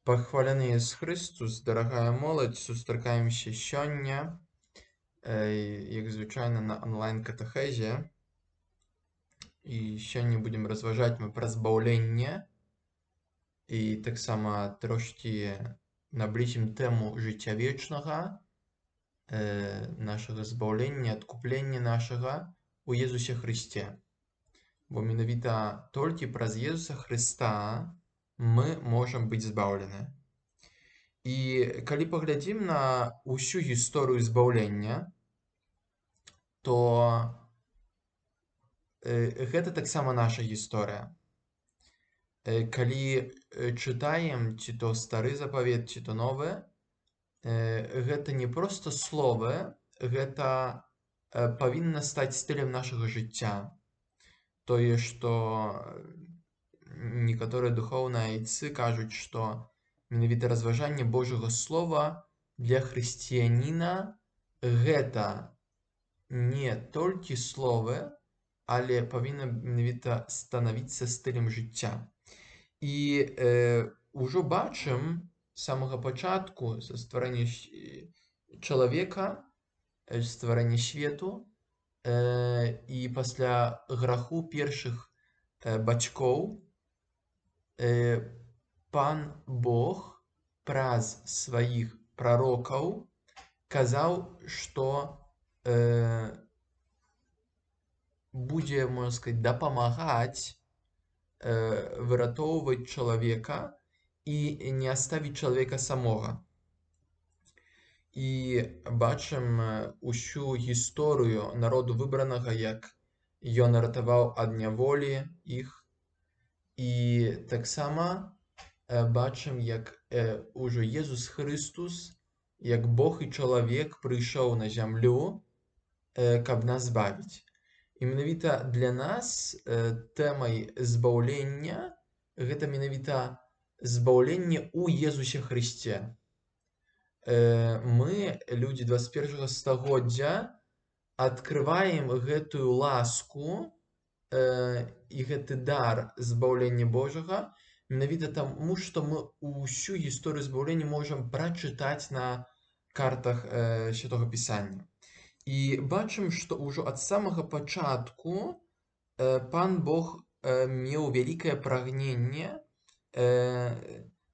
Пахваляны Jesús Христос, дарагая моладзь, сустракаемся сёння, як звычайна на онлайн-катэхезе. І сёння будзем разважаць мы пра збаўленне і таксама трошкі наблізім тэму жыцця вечнага, нашага збаўлення, адкуплення нашага у Езусе Хрысце. Бо менавіта толькі праз Езуса Хрыста мы можам быць збаўлены. І калі паглядзім на ўсю гісторыю збаўлення, то гэта таксама наша гісторыя. Калі чытаем ці то стары запавет, ці то новы, гэта не проста словы, гэта павінна стаць стылем нашага жыцця. Тое, што некаторыя духоўныя айцы кажуць, што менавіта разважанне Божага Слова для хрысціяніна гэта не толькі словы, але павінна менавіта станавіцца стылем жыцця. І ўжо бачым з самага пачатку, са стварэння чалавека, стварэння свету, і пасля граху першых бацькоў, Пан Бог праз сваіх прарокаў казаў, што будзе, можна сказаць, дапамагаць выратоўваць чалавека і не аставіць чалавека самога. І бачым усю гісторыю народу выбранага, як ён ратаваў ад няволі іх. І таксама бачым, як ужо Езус Хрыстус, як Бог і чалавек, прыйшоў на зямлю, каб нас збавіць. І менавіта для нас тэмай збаўлення гэта менавіта збаўленне ў Езусе Хрысце. Мы, людзі 21 стагоддзя, адкрываем гэтую ласку і гэты дар збаўлення Божага менавіта таму, што мы ўсю гісторыю збаўлення можам прачытаць на картах Святога Пісання. І бачым, што ўжо ад самага пачатку Пан Бог меў вялікае прагненне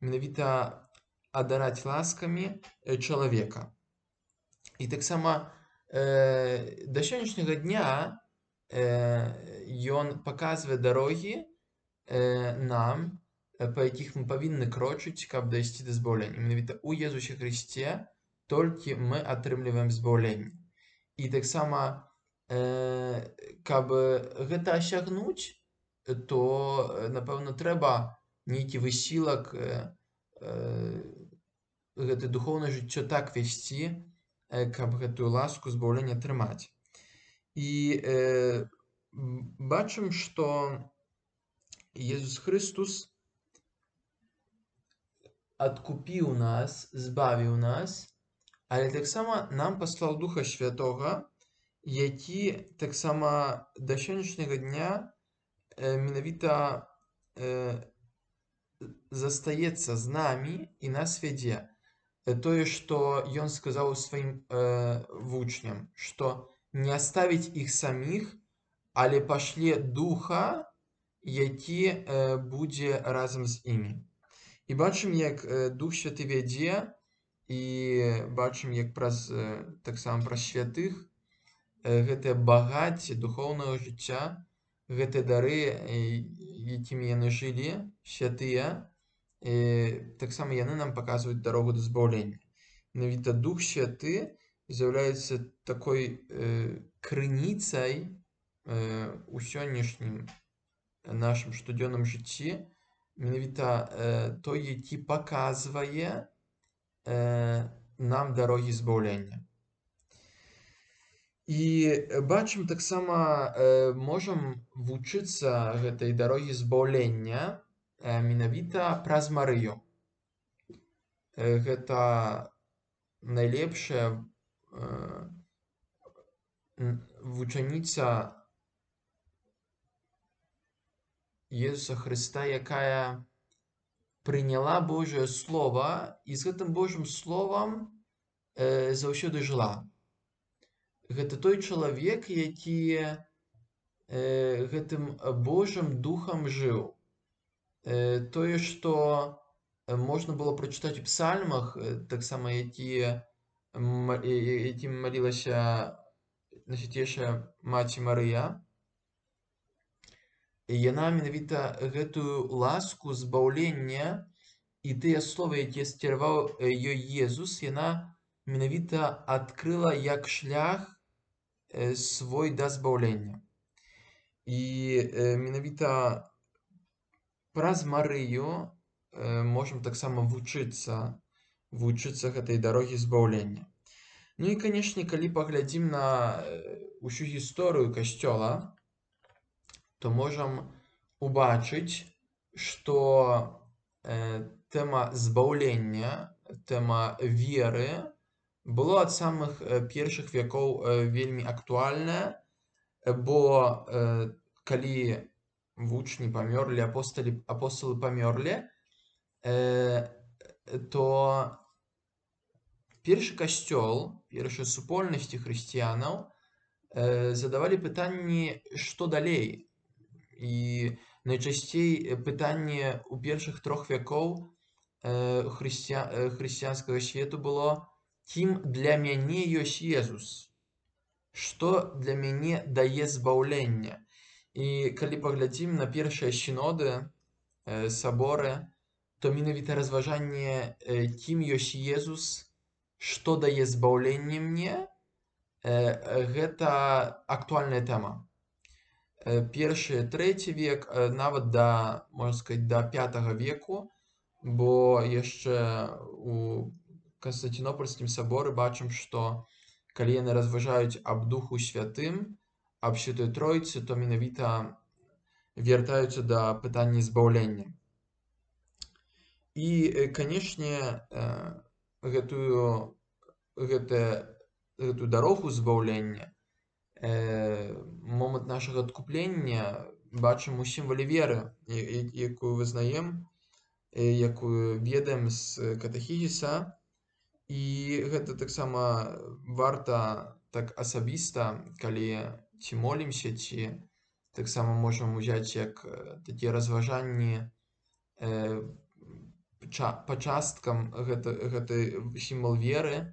менавіта адараць ласкамі чалавека. І таксама да сённяшняга дня ён паказвае дарогі нам, па якіх мы павінны крочыць, каб дайсці да збаўлення. Менавіта ў Езусе Хрысце толькі мы атрымліваем збаўленне. І таксама, каб гэта асягнуць, то, напэўна, трэба нейкі высілак, гэта духоўнае жыццё так весці, каб гэтую ласку збаўлення атрымаць. І бачым, што Езус Хрыстус адкупіў нас, збавіў нас, але таксама нам паслаў Духа Святога, які таксама да сённяшняга дня менавіта застаецца з намі і нас вядзе. Тое, што ён сказаў сваім вучням, што не аставіць іх саміх, але пашле Духа, які будзе разам з імі. І бачым, як Дух Святы вядзе, і бачым, як таксама праз святых гэтае багацце духоўнага жыцця, гэтыя дары, якімі яны жылі, святыя, таксама яны нам паказваюць дарогу да збаўлення. Менавіта Дух Святы з'яўляецца такой крыніцай у сённяшнім нашым штодзённым жыцці, менавіта той, які паказвае нам дарогі збаўлення. І бачым таксама, можам вучыцца гэтай дарогі збаўлення менавіта праз Марыю. Гэта найлепшая вучаніца Езуса Хрыста, якая прыняла Божае Слова і з гэтым Божым Словам заўсёды жыла. Гэта той чалавек, які гэтым Божым Духам жыў. Тое, што можна было прачытаць у псальмах, таксама якім малілася Найсвяцейшая Маці Марыя, яна менавіта гэтую ласку збаўлення і тыя словы, якія скіраваў ёй Езус, яна менавіта адкрыла як шлях свой да збаўлення. І менавіта праз Марыю можам таксама вучыцца гэтай дарогі збаўлення. Ну і, канешне, калі паглядзім на ўсю гісторыю Касцёла, то можам убачыць, што тэма збаўлення, тэма веры было ад самых першых вякоў вельмі актуальная, бо калі вучні памёрлі, апосталы памёрлі, то першы касцёл, першыя супольнасці хрысціянаў задавалі пытанні, што далей. І найчасцей пытанне ў першых 3 вякоў хрысціянскага свету было: кім для мяне ёсць Езус? Што для мяне дае збаўленне? І калі паглядзім на першыя сіноды, саборы, то менавіта разважанне, кім ёсць Езус, што дае збаўленне мне, гэта актуальная тэма. Першы, 3 век, нават можна сказаць, да 5 веку, бо яшчэ у Канстантинопольскім саборы бачым, што калі яны разважаюць аб Духу Святым, аб Святой Тройцы, то менавіта вяртаюцца да пытання збаўлення. І, канешне, гэтую дарогу збаўлення, момант нашага адкуплення бачым у сімвале веры, якую вызнаем, якую ведаем з катэхізіса. І гэта таксама варта так асабіста, калі ці молімся, ці таксама можам узяць як такія разважанні па часткам гэты сімвал веры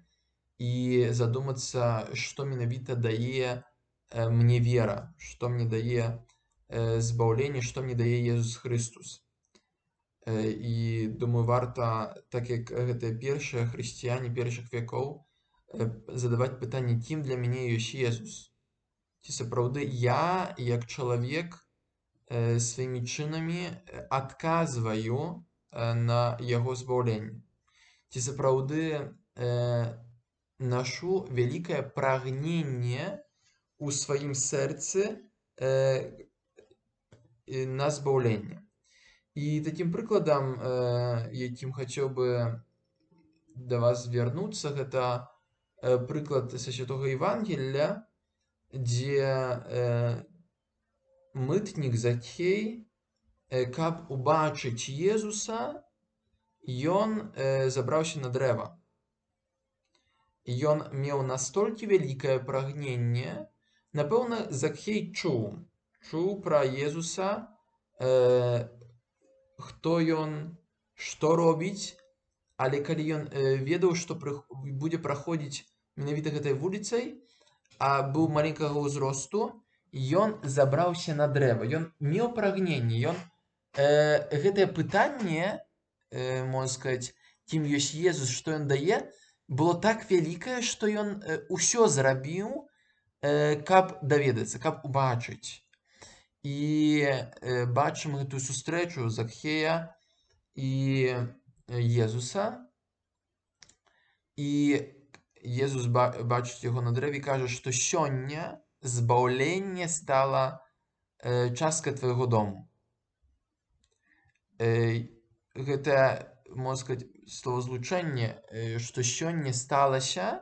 і задумацца, што менавіта дае мне вера, што мне дае збаўленне, што мне дае Езус Хрыстус. І думаю, варта, так як гэтыя першыя хрысціяне першых вякоў, задаваць пытанне, кім для мяне ёсць Езус? Ці сапраўды я, як чалавек, сваімі чынамі адказваю на яго збаўленне? Ці сапраўды нашу вялікае прагненне у сваім сэрцы на збаўленне? І такім прыкладам, якім хацеў бы да вас звярнуцца, гэта прыклад са Святога Евангелля, дзе мытнік Закхей, каб убачыць Езуса, ён забраўся на дрэва. Ён меў настолькі вялікае прагненне, напэўна, Закхей чуў пра Езуса, хто ён, што робіць, але калі ён ведаў, што будзе праходзіць менавіта гэтай вуліцай, а быў маленькага ўзросту, ён забраўся на дрэва. Ён меў прагненне, гэтае пытанне, можна сказаць, кім ёсць Езус, што ён дае, было так вялікае, што ён усё зрабіў, каб даведацца, каб убачыць. І бачым гэтую сустрэчу Закхея і Езуса. І Езус бачыць яго на дрэве і кажа, што сёння збаўленне стала часткай твайго дому. Гэта, можна сказаць, словазлучэнне, што сёння сталася,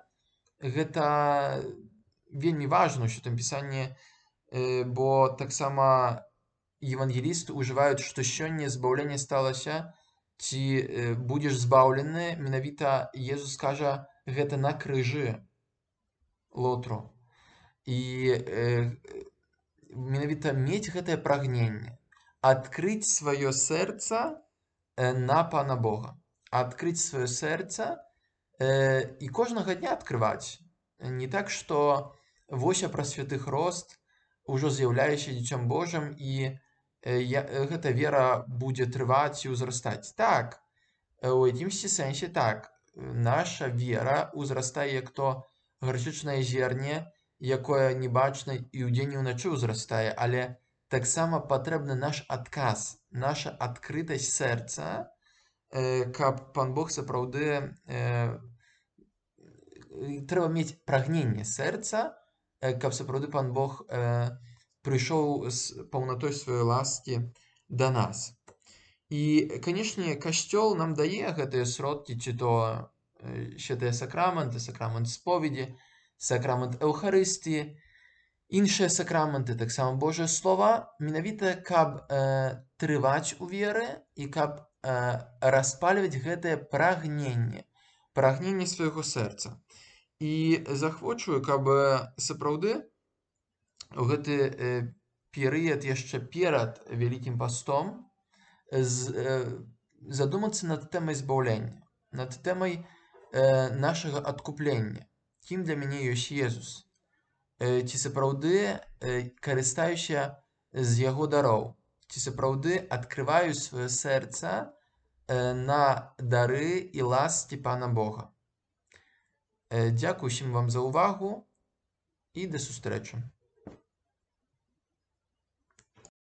гэта вельмі важна ў Святым Пісанні, бо таксама евангелісты ўжываюць, што сёння збаўленне сталася ці будзеш збаўлены, менавіта Езус кажа гэта на крыжы лотру. І менавіта мець гэтае прагненне, адкрыць сваё сэрца на Пана Бога, адкрыць сваё сэрца і кожнага дня адкрываць. Не так, што вось я праз святых рост ужо з'яўляюся дзіцем Божым і гэта вера будзе трываць і ўзрастаць. Так, у якімсьці сэнсе так, наша вера ўзрастае як то гарчычнае зерне, якое не бачна і ўдзень і ўначы ўзрастае, але таксама патрэбны наш адказ, наша адкрытасць сэрца, каб Пан Бог сапраўды трэба мець прагненне сэрца, каб сапраўды Пан Бог прыйшоў з паўнатой сваёй ласкі да нас. І, канешне, Касцёл нам дае гэтыя сродкі, ці то святыя сакраменты, сакрамент споведзі, сакрамент Эўхарыстыі, іншыя сакраменты, таксама Божае Слова, менавіта каб трываць у веры і каб распальваць гэтае прагненне свайго сэрца. І захвочую, каб сапраўды у гэты перыяд яшчэ перад Вялікім пастом задумацца над тэмай збаўлення, над тэмай нашага адкуплення. Кім для мяне ёсць Езус? Ці сапраўды карыстаюся з яго дароў? Ці сапраўды адкрываю сваё сэрца на дары і ласкі Пана Бога? Дзякую усім вам за ўвагу і да сустрэчы.